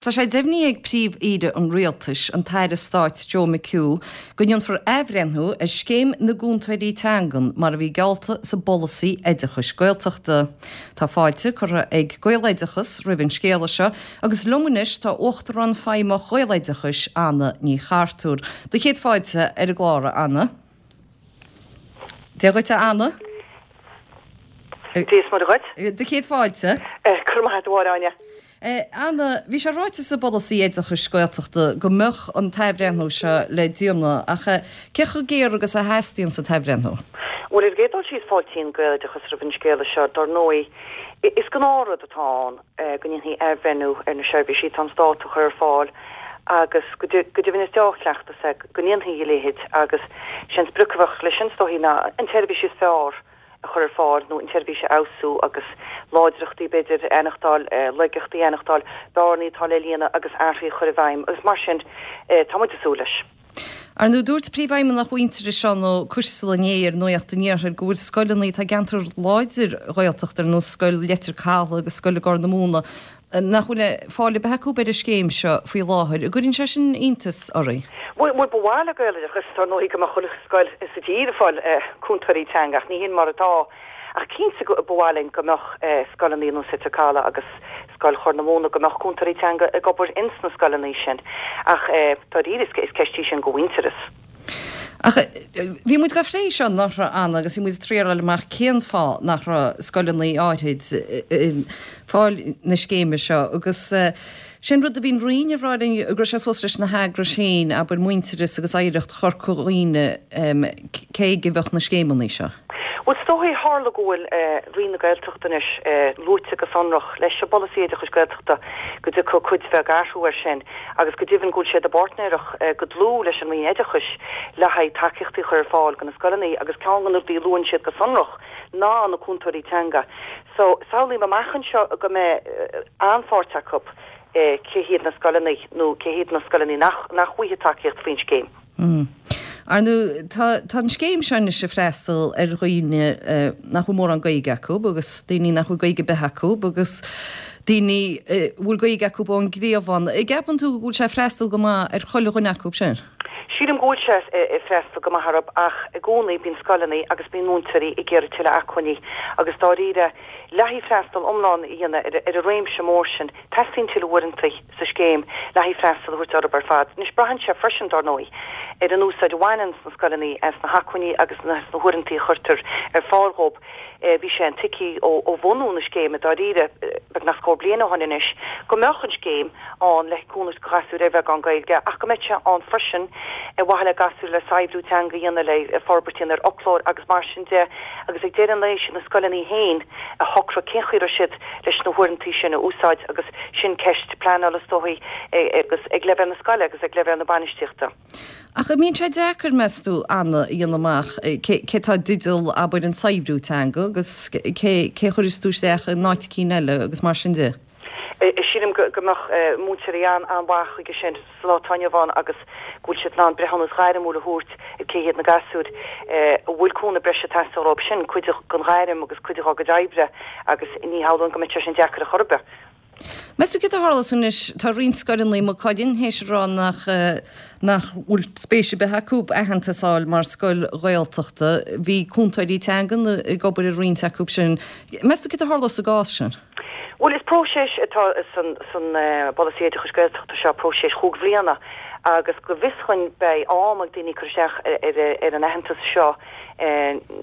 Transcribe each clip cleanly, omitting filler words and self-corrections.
Tá sé deimhnithe ag Príomh-Aoire an Rialtais, an tAire Stáit Joe McHugh, go ndéanfar athbhreithniú ar Scéim na gCúntóirí Teangan mar a bhí geallta sa bPolasaí Oideachais Gaeltachta. Tá fáilte curtha ag Gaeloideachas roimh an scéala seo agus liom anois tá Uachtarán Feidhmeach Ghaeloideachais, Anna Ní Chartúir. Do chéad fáilte ar an gclár, a Anna. Dia dhuit, a Anna. Dia is Muire dhuit. Do chéad fáilte. Go raibh maith agat, a Mháire Áine. Anna, bhí sé ráite sa bPolasaí Oideachais Gaeltachta go mbeadh an t-athbhreithniú seo le déanamh ach cé chomh géar agus a theastaíonn an t-athbhreithniú? Bhuel, ar an gcéad dul síos, fáiltíonn Gaeloideachas roimh an scéala seo. Dar ndóigh, is gnáthrud atá ann go ndéanfaí athbhreithniú ar na seirbhísí atá an Stát a chur ar fáil agus go deimhin is deá-chleachtas é go ndéanfaí a leithéid agus sé an sprioc a bheadh leis sin is dóichí ná an tseirbhís is fearr a chur ar fáil nó an tseirbhís a fheabhsú agus láidreachtaí, b'fhéidir, a aithneachtáil, laigeachtaí a aithneachtáil, bearnaí atá le líonadh agus athruithe a chur i bhfeidhm agus mar sin tá muid ag súil leis. Ar ndóigh, dúirt Príomhfheidhmeannach Mhuintearais Seán Ó Coisteala inné ar Nuacht an Iarthair go bhfuil scoileanna atá i gceantar láidir Ghaeltachta ar nós Scoil Leitir Cathail agus Scoil i gCorr na Móna nach bhfuil fáil ar bith acu ar an scéim seo faoi láthair. An gcuireann sé sin iontas oraibh? Bhuel, ba mhaith le Gaeloideachas, dar ndóigh, go mbeadh chuile scoil sa tír ag fáil cúntóirí teanga, ach ní hin mar atá. Ach cinnte ba mhaith linn go mbeadh scoileanna ar nós Leitir Cathail agus Scoil Chorr na Móna, go mbeadh cúntóirí teanga ag obair ins na scoileanna sin. Ach dáiríre, is ceist í sin do Mhuintearas. Ach bhí muid dhá phlé seo anuraidh, Anna, agus bhí muid ag triail fháil amach cén fáth nach raibh scoileanna áithrid ag fáil na scéime seo agus sé an rud a bhí an Roinn ag rá linn go raibh sé suas leis na heagrais féin, abair Muintearas agus Oidhreacht Chorca Dhuibhne, cé aige a bheadh na scéimeanna seo. Bhuel, is dóigh, tharla go bhfuil Roinn na Gaeltachta anois luaite go sonrach leis an bPolasaí Oideachais Gaeltachta go dtiocfaidh cuid bheag athrú air sin agus go deimhin go bhfuil siad i bpáirtnéireacht go dlúth leis an Roinn Oideachais le haghaidh tacaíochtaí a chur ar fáil do na scoileanna agus ceann de na rudaí a luann siad go sonrach ná na cúntóirí teanga. So, samhlaím amach anseo go mbeidh an-pháirt acu cé hiad na scoileanna nó cé hiad na scoileanna nach nach bhfaighidh tacaíocht faoin scéim. Ar ndóigh, tá tá an scéim seo anois ag freastal ar dhaoine nach bhfuil mórán Gaeilge acu agus daoine nach bhfuil Gaeilge ar bith acu agus daoine a bhfuil Gaeilge acu ón gcliabhán. An gceapann tú go bhfuil sé ag freastal go maith ar chuile dhuine acu sin? Sílim go bhfuil sé ag freastal go maith orthu ach i gcónaí bíonn scoileanna agus bíonn múinteoirí ag iarraidh tuilleadh acmhainní agus dáiríre le haghaidh freastal iomlán a dhéanamh ar an réimse mór sin teastaíonn tuilleadh uaireanta. sa scéim le haghaidh freastal a thabhairt orthu ar fad. Anois, braitheann sé freisin, dár ndóigh, ar an úsáid a bhaineann na scoileanna as na hacmhainní agus as na huaireantaí a chuirtear ar fáil dhóibh. Bhí sé intuigthe ó bhunú na scéime, dáiríre, beagnach scór bliain ó shin anois, go mbeadh an scéim ann le cúnamh do ghasúir ar bheagán Gaeilge ach go mbeadh sé ann freisin ar mhaithe le gasúir le saibhriú teanga a dhéanamh, le forbairt a dhéanamh ar fhoclóir agus mar sin de agus ag deireadh an lae, siad na scoileanna féin a shocróidh cén chaoi a raibh siad leis na huaireantaí sin a úsáid agus sin ceist pleanála is dóichí agus ag leibhéal na scoile agus ag leibhéal na bainistíochta. Ach an mbíonn sé deacair, meas tú, Anna, a dhéanamh amach cé atá i dteideal, abair, an saibhriú teanga agus cé a chuireas tú isteach in áit eicínt eile agus mar sin de? Sílim go mbeadh múinteoirí an-mhaith chuige sin sa lá atá inniu ann agus go bhfuil siad in ann breithiúnas gairmiúil a thabhairt ar cé hiad na gasúir a bhfuil cúnamh breise ag teastáil uathu. Sin cuid den ghairm agus cuid dhá gcuid oibre agus ní shamhlóinn go mbeadh sé sin deacair ar chor ar bith. Meas tú céard a tharlós anois? Tá roinnt scoileanna i Maigh Cuilinn théis a rá nach nach bhfuil spéis ar bith acu aitheantas a fháil mar scoil Ghaeltachta. Bhí cúntóirí teangan ag obair i roinnt acu sin. Meas tú céard a tharlós sa gcás sin? Bhuel, is próiseas atá san bPolasaí Oideachais Gaeltachta seo, próiseas chúig bhliana, agus go bhfios dhuinn beidh am ag daoine cur isteach ar an aitheantas seo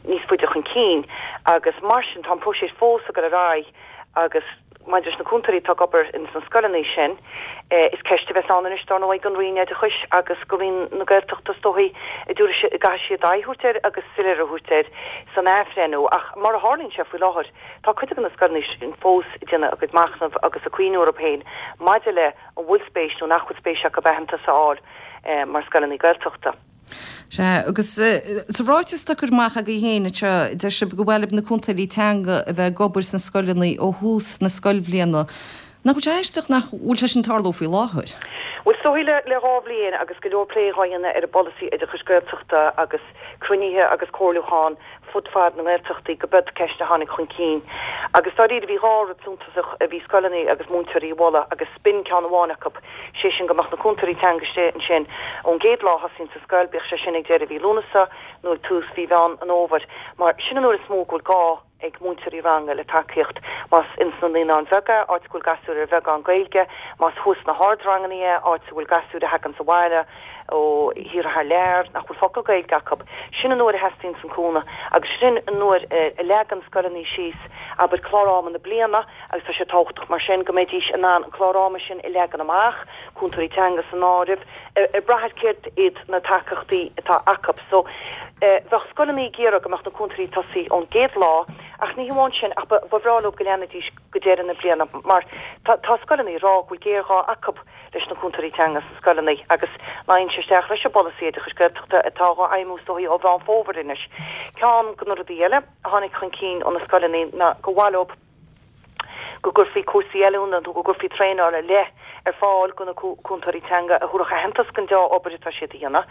níos faide chun cinn agus mar sin tá an próiseas fós ag dul ar aghaidh agus maidir leis na cúntóirí atá ag obair ins na scoileanna sin, is ceist a bheas ann anois dar ndóigh don Roinn Oideachais agus do Roinn na Gaeltachta is dóichí a dtabharfaidh siad, gcaithfidh siad aghaidh a thabhairt air agus soiléire a thabhairt air san athbhreithniú ach mar a tharlaíonn sé faoi láthair Tá cuid de na scoileanna sin fós ag déanamh a gcuid machnaimh agus ag cuimhniú orthu féin maidir le an bhfuil spéis nó nach bhfuil spéis acu aitheantas a fháil mar scoileanna Gaeltachta. Sea, agus sa ráiteas atá curtha amach agaibh féin anseo, deir sibh gur mhaith libh na cúntóirí teanga a bheith ag obair sna scoileanna ó thús na scoilbhliana. Nach bhfuil sé aisteach nach bhfuil sé sin ag tarlú faoi láthair? Bhuel, is dóichí le le dha bhliain agus go leor plé dhá dhéanamh ar an bPolasaí Oideachais Gaeltachta agus cruinnithe agus comhairliúchán. fud fad na nGaeltachtaí go b'iod ceist a tháinig chun cinn agus dáiríre bhí 2 rud suntasach a bhí scoileanna agus múinteoirí a mholadh agus b'in ceann amháin acu, sé sin go mbeadh na cúntóirí teanga istigh ansin ón gcéad lá a thosaíonns an scoil, bíodh sé sin ag deireadh mhí Lúnasa nó ag tús mhí Mheán an Fhómhair mar sin an uair is mó go bhfuil gá ag múinteoirí ranga le tacaíocht, más ins na naíonáin bheaga, áit go bhfuil gasúir ar bheagán Gaeilge, más thuas sna hardranganna é, áit a bhfuil gasúir a thaganns abhaile ó thíortha thar lear, nach bhfuil focal Gaeilge acu. Sin an uair a theastaíonns an cúnamh agus sin an uair a leagann scoileanna síos, abair, clár ama na bliana agus tá sé tábhachtach mar sin go mbeidís in ann an clár ama sin a leagan amach, cúntóirí teanga san áireamh, ag brath ar céard iad na tacaíochtaí atá acu. So, bheadh scoileanna ag iarraidh go mbeadh na cúntóirí ag tosaí ón gcéad lá ach ní hamháin sin ach ba bhreá leo go leanfaidís go deireadh na bliana mar tá tá scoileanna ag rá go bhfuil géarghá acu leis na cúntóirí teanga sna scoileanna agus luíonn sé isteach leis an bpolasaí oideachais Gaeltachta atá á fheidhmiú is dóichí ó Mheán Fómhair anois. Ceann de na rudaí eile a tháinig chun cinn ó na scoileanna ná gur mhaith leo go gcuirfí cúrsaí oiliúna nó go gcuirfí traenáil ar leith ar fáil do na cúntóirí teanga a thabharfadh aitheantas don dea-obair atá siad a dhéanamh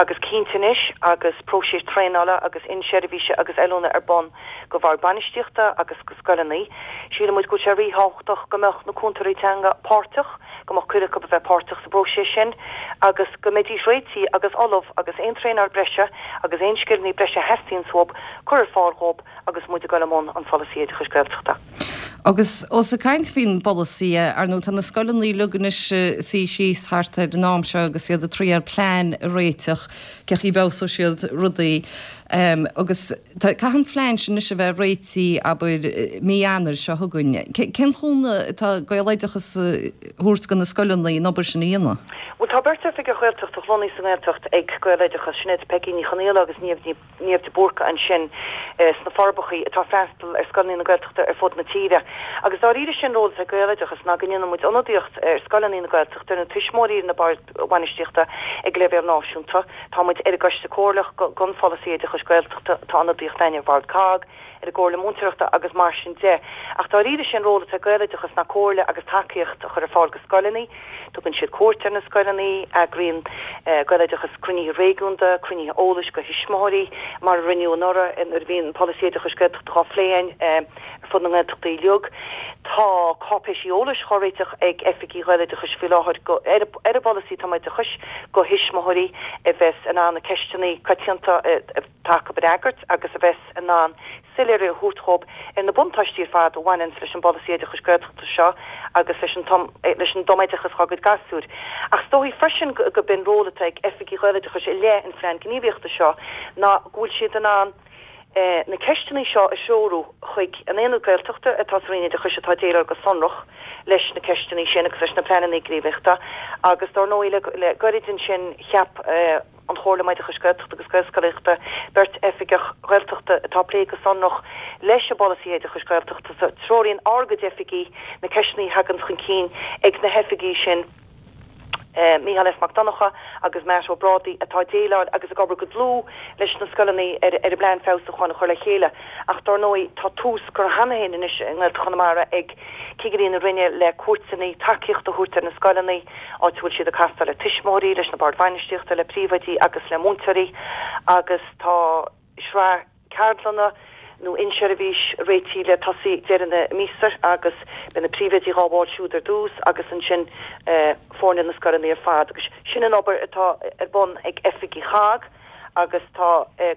agus cinnte anois agus próiseas traenála agus inseirbhíse agus oiliúna ar bun do bhoird bainistíochta agus do scoileanna, síleann muid go bhfuil sé ríthábhachtach go mbeadh na cúntóirí teanga páirteach, go mbeadh cuireadh acu a bheith páirteach sa bpróiseas sin agus go mbeidís réitithe agus ullamh agus aon traenáil breise agus aon scileanna breise a theastaíonns uathu cur ar fáil dhóibh agus muid ag dul i mbun an pholasaí oideachais Gaeltachta. Agus ós ag caint faoin bpolasaí, ar ndóigh tá na scoileanna uilig anois ag suí síos thart ar an am seo agus iad ag triail plean a réiteach cé chaoi a bhfeabhsóidh siad rudaí agus caithfidh an phlean sin anois a bheith réitithe abair mí Eanáir seo chugainn. Cén chúnamh atá Gaeloideachas a thabhairt do na scoileanna an obair sin a dhéanamh? Bhuel tá beirt oifigeach Ghaeltachta lonnaithe sa nGaeltacht ag Gaeloideachas, sin iad Peigí Ní Chonaola agus Niamh Ní. Niamh de Búrca ansin sna Forbacha atá ag freastal ar scoileanna na Gaeltachta ar fud na tíre. Agus dáiríre sin ról atá ag Gaeloideachas ná go ndéanann muid ionadaíocht ar scoileanna na Gaeltachta, ar na tuismitheoirí, ar na boird bhainistíochta ag leibhéal náisiúnta. Tá muid ar an gCoiste Comhairleach don Pholasaí Oideachais Gaeltachta, tá ionadaíocht againn ar Bhord COGG, ar an gComhairle Múinteoireachta agus mar sin de. Ach dáiríre sin ról atá ag Gaeloideachas ná comhairle agus tacaíocht a chur ar fáil go scoileanna. Tugann siad cuairt ar na scoileanna, eagraíonn Gaeloideachas cruinnithe réigiúnda, cruinnithe eolais go thuismitheoirí, mar a rinneadh anuraidh nuair a bhí an Polasaí Oideachais Gaeltachta dhá phlé againn ar fud na nGaeltachtaí uilig. Tá cáipéisí eolais dhá réiteach ag oifigigh Ghaeloideachais faoi láthair ar an bpolasaí tumoideachais go thuismitheoirí a bheas in ann na ceisteanna coitianta a atá acu a fhreagairt agus a bheas in ann soiléiriú a thabhairt dhóibh ar na buntáistí ar fad a bhaineanns leis an bpolasaí oideachais Gaeltachta seo agus leis an leis an dtumoideachas dhá gcuid gasúir. Ach is dóichí freisin go b'in ról atá ag oifigigh Ghaeloideachais i leith an phlean gníomhaíochta seo ná go bhfuil siad in ann na ceisteanna seo a threorú chuig an Aonad Gaeltachta atá sa Roinn Oideachais atá ag déileáil go sonrach leis na ceisteanna sin agus leis na pleananna gníomhaíochta agus dár ndóigh le goirid ansin cheap an Chomhairle um Oideachas Gaeltachta agus Gaelscolaíochta beirt oifigeach Gaeltachta atá ag plé go sonrach leis an bpolasaí oideachais Gaeltachta so treoraíonn ár gcuid oifigigh na ceisteanna a thagann chun cinn ag na hoifigigh sin, Mícheál S. Mac Donncha agus Matt Ó Brádaigh atá ag déileáil agus ag obair go dlúth leis na scoileanna ar an bplean feabhsúcháin a chur le chéile ach dár ndóigh tá tús curtha cheana féin anois i nGaeltacht Chonamara ag cigirí na Roinne le cuairteanna tacaíochta a thabhairt ar na scoileanna. áit a bhfuil siad ag castáil le tuismitheoirí, leis na boird bhainistíochta, le príomhoidí agus le múinteoirí agus tá sraith ceardlanna nó inseirbhís réitithe le tosaí ag deireadh na míosa agus beidh na príomhoidí dhá bhfáil siúd ar dtús agus ansin foirne na scoileanna ar fad agus sin an obair atá ar bun ag oifigigh CHOGG. agus tá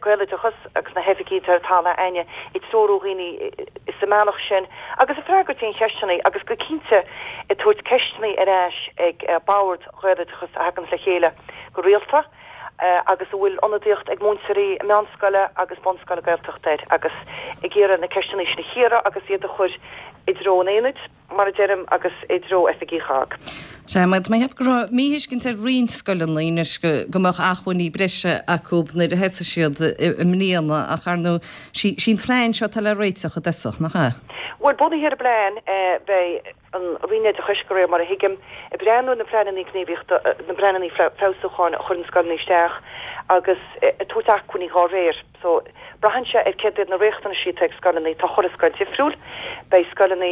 Gaeloideachas agus na hoifigigh atá ar talamh a'inne ag treorú dhaoine sa mbealach sin agus ag freagairt aon cheisteanna agus go cinnte ag tabhairt ceisteanna ar ais ag bord Ghaeloideachas a thaganns le chéile go rialta agus a bhfuil ionadaíocht ag múinteoirí meánscoile agus bunscoile Gaeltachta air agus ag iarraidh na ceisteanna sin a chíoradh agus iad a chur i dtreo an aonaid. mar a deirim, agus i dtreo oifigí CHOGG. Sea, mar tá mé ag ceapadh go raibh míthuiscint ar roinnt scoileanna anois go mbeadh acmhainní breise acu nuair a thosaigh siad i mbliana ach ar ndóigh, sí an phlean seo atá le réiteach i dtosach, nach ea? Bhuel, bunaithe ar an bplean, beidh an Roinn Oideachais, de réir mar a thuigim, ag breathnú ar na pleananna gníomhaíochta, na pleananna feabhsúcháin a chuireann scoileanna isteach agus ag tabhairt acmhainní dhá réir. So, braitheann sé ar céard iad na riachtanaisí atá ag scoileanna. Tá chuile scoil difriúil. Beidh scoileanna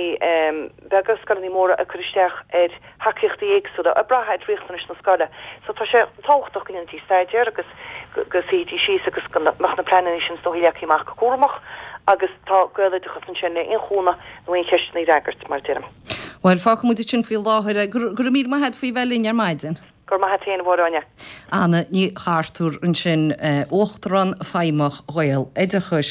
beaga, scoileanna móra ag cur isteach ar thacaíochtaí éagsúla, ag brath ar riachtanais na scoile. So, tá sé tábhachtach go ndéanfaidís staidéar agus go suífidís síos agus go mbeadh na pleananna sin is dóichí leagtha amach go cúramach agus tá Gaeloideachas ansin le aon chúnamh nó aon cheisteanna a fhreagairt, mar a deirim. Bhuel, fágfaidh muid ansin faoi láthair é. Go raibh míle maith agat faoi bheith linn ar maidin. Go raibh maith agat féin, a Mháire Áine. Anna Ní Chartúir ansin, Uachtarán Feidhmeach Ghaeloideachais.